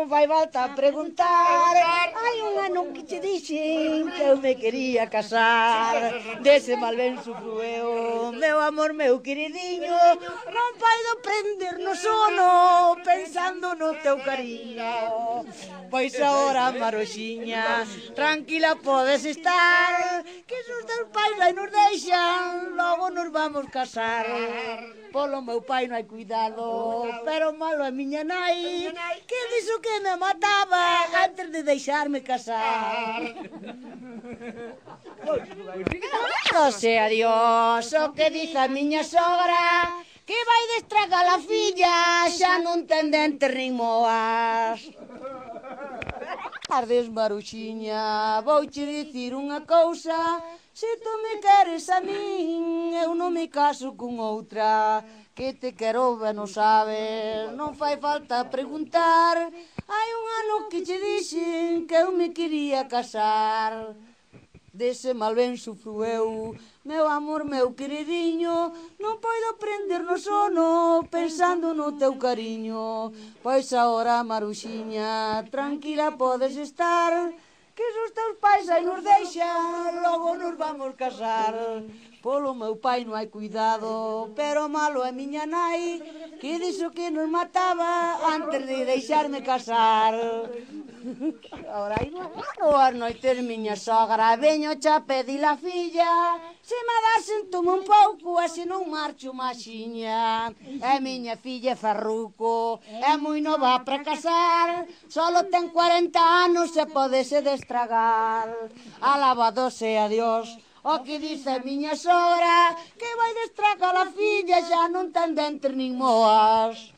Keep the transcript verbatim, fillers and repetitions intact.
non fai falta preguntar. Hai un ano que che dixen que eu me quería casar. Dese mal ben sufro eu, meu amor, meu queridinho. Non podo prender no sono pensando no teu cariño. Pois agora, Maroxiña, tranquila podes estar, que se os teus pais aí nos deixan, logo nos vamos casar. Polo meu pai non hai cuidado, pero malo é miña nai, que dixo que me mataba antes de deixarme casar. Non sea Dios o que dice a miña sogra, que vai destragar a filla, xa non ten dentes nin moas. Tardes, Maruxiña, vouche dicir unha cousa, se tu me queres a min, eu non me caso con outra, que te quero ben o sabes, non fai falta preguntar, hai un ano que che dixen que eu me quería casar. Dese mal ben sufro eu, meu amor, meu queridinho, non podo prender no sono pensando no teu cariño. Pois agora, Maruxiña, tranquila podes estar, que se os teus pais aí nos deixan, logo nos vamos casar. Polo meu pai non hai cuidado, pero malo é miña nai, que dixo que nos mataba antes de deixarme casar. Ahora aí boas noites, miña sogra, veño xa pedir a filla, se me dasen tome un pouco, e se non marcho maxiña. É miña filla Farruco, é moi nova para casar, solo ten cuarenta anos e podese destragar. Alabado sea Dios, o que dice a miña sogra, que vai destragar a filla, xa non ten dentes nin moas.